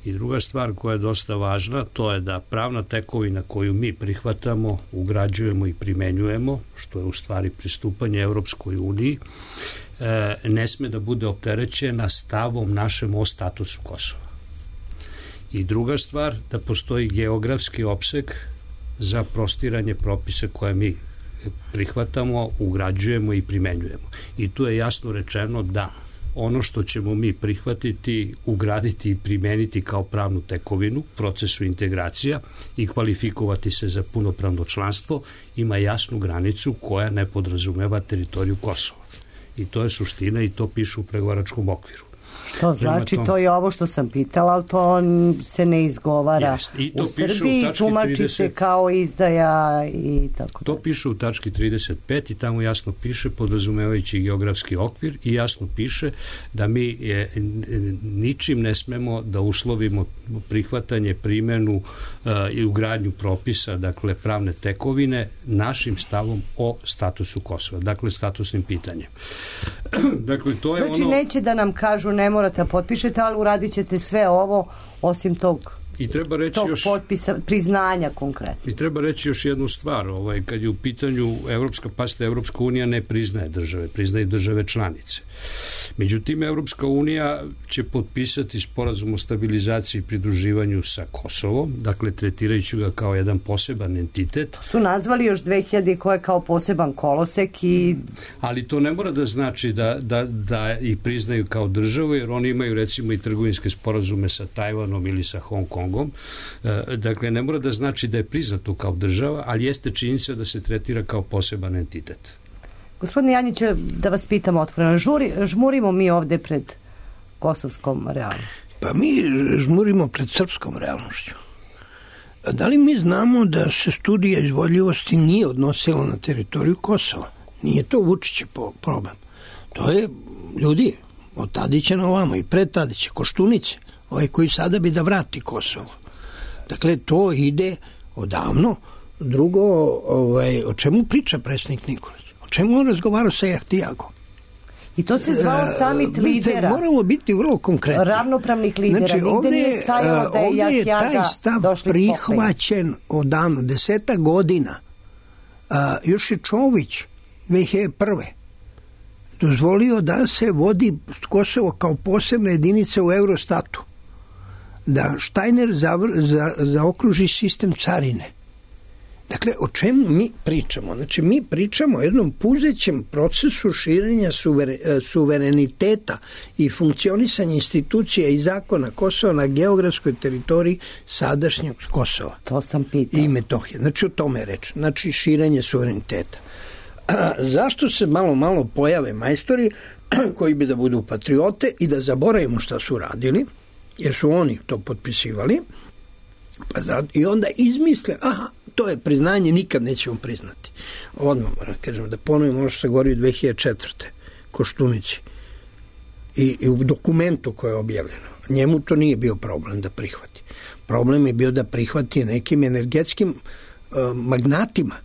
I druga stvar koja je dosta važna, to je da pravna tekovina koju mi prihvatamo, ugrađujemo i primenjujemo, što je u stvari pristupanje Evropskoj uniji, ne sme da bude opterećena stavom našem o statusu Kosova. I druga stvar, da postoji geografski opseg za prostiranje propisa koje mi prihvatamo, ugrađujemo i primenjujemo. I tu je jasno rečeno da ono što ćemo mi prihvatiti, ugraditi i primeniti kao pravnu tekovinu, procesu integracija i kvalifikovati se za punopravno članstvo, ima jasnu granicu koja ne podrazumeva teritoriju Kosova. I to je suština i to piše u pregovaračkom okviru. To znači, to je ovo što sam pitala, ali to se ne izgovara u Srbiji, tumači se kao izdaja i tako. To piše u tački trideset pet i tamo jasno piše, podrazumevajući geografski okvir, i jasno piše da mi je, ničim ne smemo da uslovimo prihvatanje, primenu uh, i ugradnju propisa, dakle pravne tekovine, našim stavom o statusu Kosova, dakle statusnim pitanjem. Dakle, to je znači, ono... neće da nam kažu ne morate da potpišete, ali uradit ćete sve ovo osim tog, I treba reći tog još, potpisa, priznanja konkretno. I treba reći još jednu stvar, ovaj, kad je u pitanju Evropska, pasta Evropska unija ne priznaje države, priznaje države članice. Međutim, Evropska unija će potpisati sporazum o stabilizaciji i pridruživanju sa Kosovom, dakle tretirajući ga kao jedan poseban entitet. Su nazvali još dve hiljade koje kao poseban kolosek i... Ali to ne mora da znači da, da, da ih priznaju kao državu, jer oni imaju recimo i trgovinske sporazume sa Tajvanom ili sa Hong Kongom Kongom. Dakle, ne mora da znači da je priznato kao država, ali jeste činjenica da se tretira kao poseban entitet. Gospodine Janjiće, da vas pitam otvoreno, žuri, žmurimo mi ovde pred kosovskom realnosti? Pa mi žmurimo pred srpskom realnošću. Da li mi znamo da se studija izvodljivosti nije odnosila na teritoriju Kosova? Nije to Vučićev problem. To je ljudi od Tadića na ovamo i pred Tadića, Koštunice, ovaj koji sada bi da vrati Kosovo. Dakle, to ide odavno. Drugo, ovaj, o čemu priča predsjednik Nikolić? O čemu on razgovarao sa Jahtijagom? I to se zvao samit lidera. Moramo biti vrlo konkretni. Ravnopravnih lidera. Znači, Nigde nije stajalo da je ovdje je taj stav prihvaćen odavno, deseta godina. A, još je Čović dve hiljade prve dozvolio da se vodi Kosovo kao posebna jedinica u Eurostatu. Da Štajner zavr, za, zaokruži sistem carine. Dakle, o čemu mi pričamo? Znači, mi pričamo o jednom puzećem procesu širenja suver, suvereniteta i funkcionisanja institucija i zakona Kosova na geografskoj teritoriji sadašnjeg Kosova. To sam pitao. I Metohije. Znači, o tome je reč. Znači, širenje suvereniteta. A, zašto se malo, malo pojave majstori koji bi da budu patriote i da zaboravimo šta su radili, jer su oni to potpisivali, pa zato, i onda izmisle, aha, to je priznanje, nikad nećemo priznati. Odmah moram kažem da ponovim ono što se govori u dve hiljade četvrte Koštunici i, i u dokumentu koje je objavljeno. Njemu to nije bio problem da prihvati. Problem je bio da prihvati nekim energetskim uh, magnatima.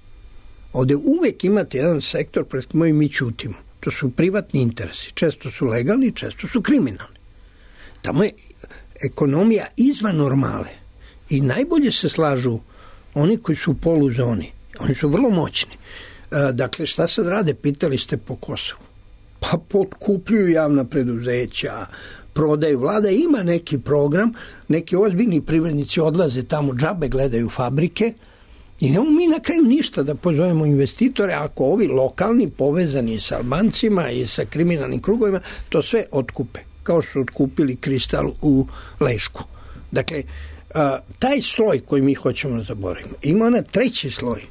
Ovde uvek imate jedan sektor pred kojim mi ćutimo. To su privatni interesi. Često su legalni, često su kriminalni. Tamo je ekonomija izvan normale. I najbolje se slažu oni koji su u poluzoni. Oni su vrlo moćni. E, dakle, šta sad rade? Pitali ste po Kosovu. Pa potkupljuju javna preduzeća, prodaju. Vlada ima neki program, neki ozbiljni privrednici odlaze tamo, džabe gledaju fabrike i nemamo mi na kraju ništa da pozovemo investitore ako ovi lokalni povezani sa Albancima i sa kriminalnim krugovima to sve otkupe. Kao što su otkupili Kristal u Lešku. Dakle, a, taj sloj koji mi hoćemo da zaboravimo. Ima ona treći sloj.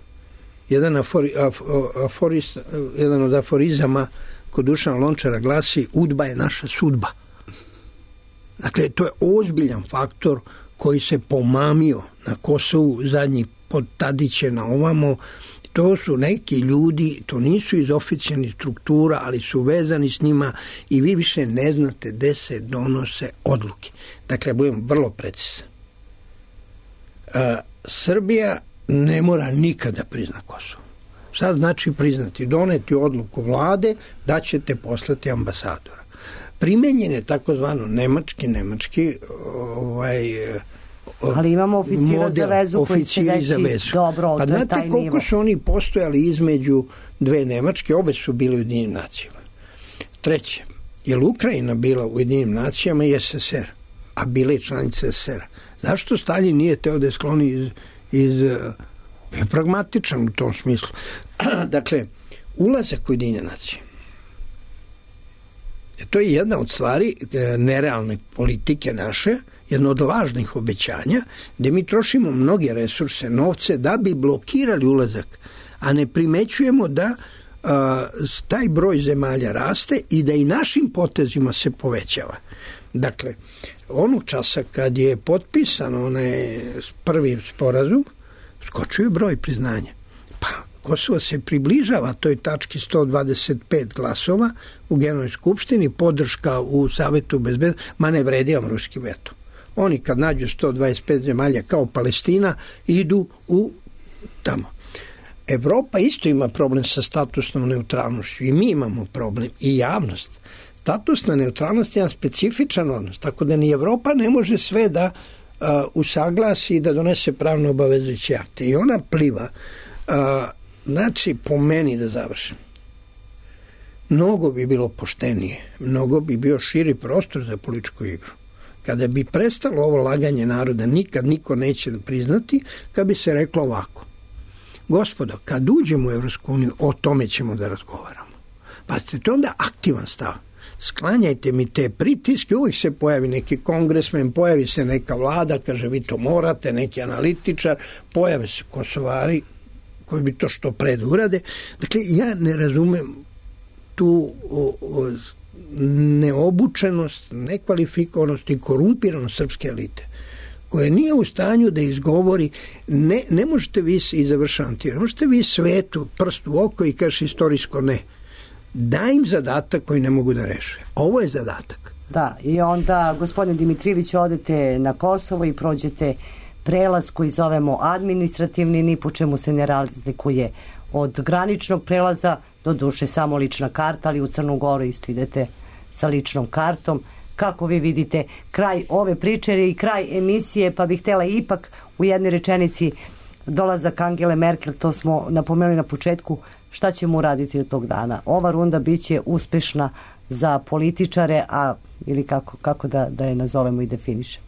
Jedan, afori, af, aforist, jedan od aforizama kod Dušana Lončara glasi: udba je naša sudba. Dakle, to je ozbiljan faktor koji se pomamio na Kosovu zadnjih pod Tadiće na ovamo. To su neki ljudi, to nisu iz oficijalnih struktura, ali su vezani s njima i vi više ne znate gde se donose odluke. Dakle, budem vrlo precizan. A, Srbija ne mora nikada prizna Kosovo. Šta znači priznati? Doneti odluku vlade da ćete poslati ambasadora. Primenjen je takozvano nemački, nemački ovaj, ali imamo oficira model, za vezu koji će reći dobro, pa znate koliko nivo. Su oni postojali između dve Nemačke, obe su bile u Ujedinjenim nacijama. Treće, je Ukrajina bila u Ujedinjenim nacijama i S S R, a bila je članica S S R-a. Zašto Stalin nije teo da je skloni iz, iz je pragmatičan u tom smislu. Dakle, ulazak u Ujedinjene nacije. To je jedna od stvari nerealne politike naše, jedno od lažnih obećanja, gde mi trošimo mnoge resurse, novce, da bi blokirali ulazak, a ne primećujemo da a, taj broj zemalja raste i da i našim potezima se povećava. Dakle, onog časa kad je potpisan onaj prvi sporazum, skočio je broj priznanja. Pa, Kosovo se približava toj tački sto dvadeset pet glasova u Generalnoj skupštini, podrška u Savetu bezbednosti, ma ne vredi vam ruski veto. Oni kad nađu sto dvadeset pet zemalja kao Palestina, idu u tamo. Evropa isto ima problem sa statusnom neutralnošću i mi imamo problem i javnost. Statusna neutralnost je jedan specifičan odnos, tako da ni Evropa ne može sve da uh, usaglasi i da donese pravno obavezujuće akte. I ona pliva. Uh, znači, po meni da završim. Mnogo bi bilo poštenije, mnogo bi bio širi prostor za političku igru. Kada bi prestalo ovo laganje naroda, nikad niko neće priznati, kad bi se reklo ovako: gospodo, kad uđemo u Evropsku uniju, o tome ćemo da razgovaramo. Pa to je onda aktivan stav. sklanjajte mi te pritiske, uvijek se pojavi neki kongresmen, pojavi se neka vlada, kaže vi to morate, neki analitičar, pojave se Kosovari koji bi to što pred urade. Dakle, ja ne razumem tu o, o, neobučenost, nekvalifikovanost i korumpiranost srpske elite, koja nije u stanju da izgovori, ne, ne možete vi, i završavam ti, ne možete vi svetu prst u oko i kažeš istorijsko ne. Daj im zadatak koji ne mogu da reše. Ovo je zadatak. Da, i onda, gospodine Dimitrijević, odete na Kosovo i prođete prelaz koji zovemo administrativni, ni po čemu se ne razlikuje od graničnog prelaza, do duše samo lična karta, ali u Crnu Goru isto idete sa ličnom kartom. Kako vi vidite kraj ove priče i kraj emisije, pa bih htjela ipak u jednoj rečenici dolazak Angele Merkel, to smo napomenuli na početku, šta ćemo uraditi od tog dana? Ova runda biće uspešna za političare, a ili kako, kako da, da je nazovemo i definišemo?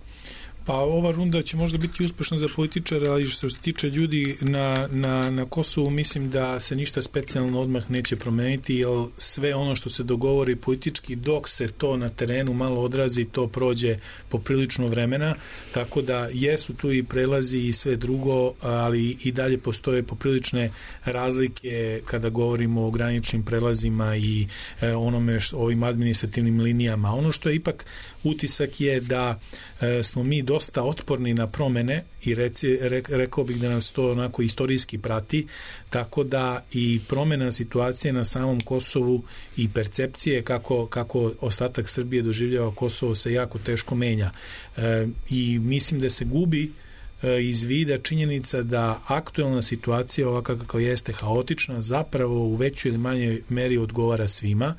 Pa ova runda će možda biti uspešna za političare, ali što se tiče ljudi na, na, na Kosovu, mislim da se ništa specijalno odmah neće promeniti, jer sve ono što se dogovori politički, dok se to na terenu malo odrazi, to prođe poprilično vremena, tako da jesu tu i prelazi i sve drugo, ali i dalje postoje poprilične razlike kada govorimo o graničnim prelazima i e, onome što, ovim administrativnim linijama. Ono što je ipak utisak je da e, smo mi dosta otporni na promene i reci, re, rekao bih da nas to onako istorijski prati, tako da i promena situacije na samom Kosovu i percepcije kako, kako ostatak Srbije doživljava Kosovo se jako teško menja. E, i mislim da se gubi e, iz vida činjenica da aktuelna situacija ovaka kako jeste haotična zapravo u većoj ili manjoj meri odgovara svima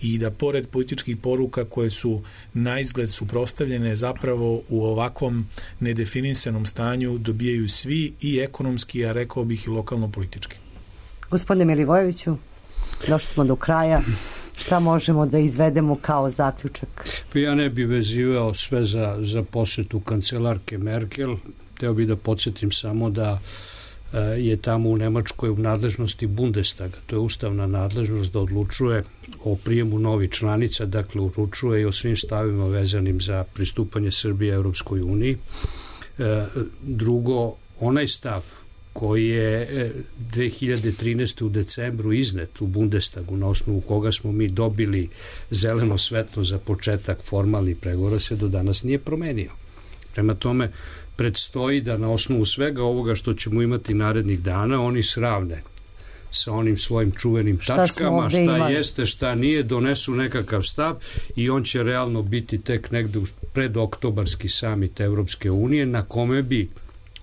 i da pored političkih poruka koje su na izgled suprotstavljene zapravo u ovakvom nedefinisanom stanju dobijaju svi i ekonomski, a rekao bih i lokalno politički. Gospodine Milivojeviću, došli smo do kraja. Šta možemo da izvedemo kao zaključak? Ja ne bih vezivao sve za, za posetu kancelarke Merkel. Teo bih da podsjetim samo da je tamo u Nemačkoj u nadležnosti Bundestaga, to je ustavna nadležnost da odlučuje o prijemu novih članica, dakle uručuje i o svim stavima vezanim za pristupanje Srbije Europskoj uniji. Drugo, onaj stav koji je dve hiljade trinaeste. u decembru iznet u Bundestagu, na osnovu koga smo mi dobili zeleno svetlo za početak formalnih pregovora, se do danas nije promenio. Prema tome, predstoji da na osnovu svega ovoga što ćemo imati narednih dana, oni sravne sa onim svojim čuvenim šta tačkama, šta imali. Jeste, šta nije, donesu nekakav stav i on će realno biti tek negde pred oktobarski samit Evropske unije, na kome bi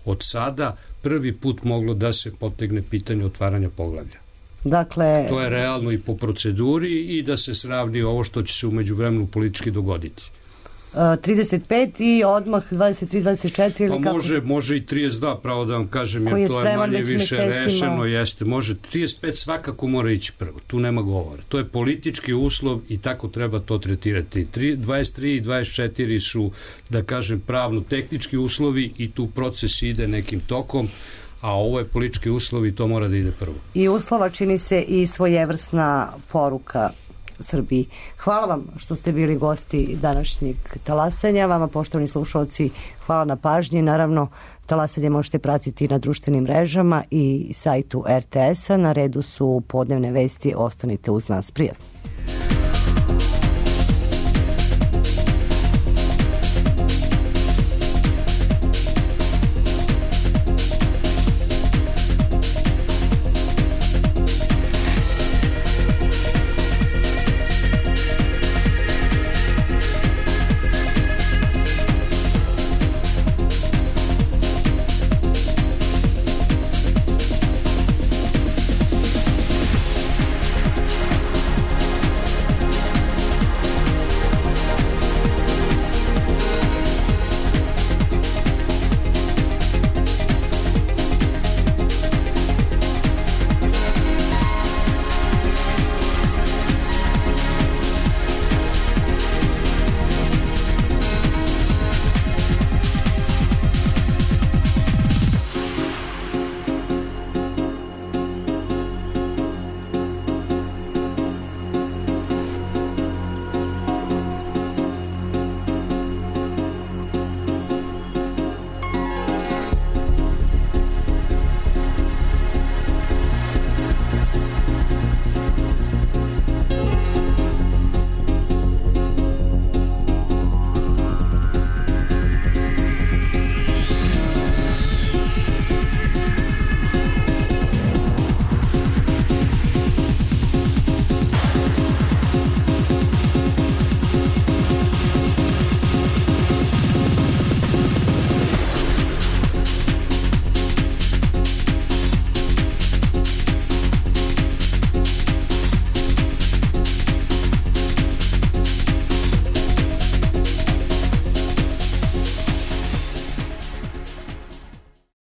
od sada prvi put moglo da se potegne pitanje otvaranja poglavlja. Dakle, to je realno i po proceduri i da se sravni ovo što će se u međuvremenu politički dogoditi. trideset pet i odmah dvadeset tri dvadeset četiri ili pa kako? Može, može i trideset dva, pravo da vam kažem, jer to je manje više rešeno, jeste, može, trideset pet svakako mora ići prvo, tu nema govora, to je politički uslov i tako treba to tretirati. dvadeset tri i dvadeset četiri su, da kažem, pravno-tehnički uslovi i tu proces ide nekim tokom, a ovo je politički uslov i to mora da ide prvo. I uslova čini se i svojevrsna poruka Srbiji. Hvala vam što ste bili gosti današnjeg talasanja. Vama, poštovani slušalci, hvala na pažnji. Naravno, talasanje možete pratiti na društvenim mrežama i sajtu er te esa. Na redu su podnevne vesti. Ostanite uz nas. Prijatno.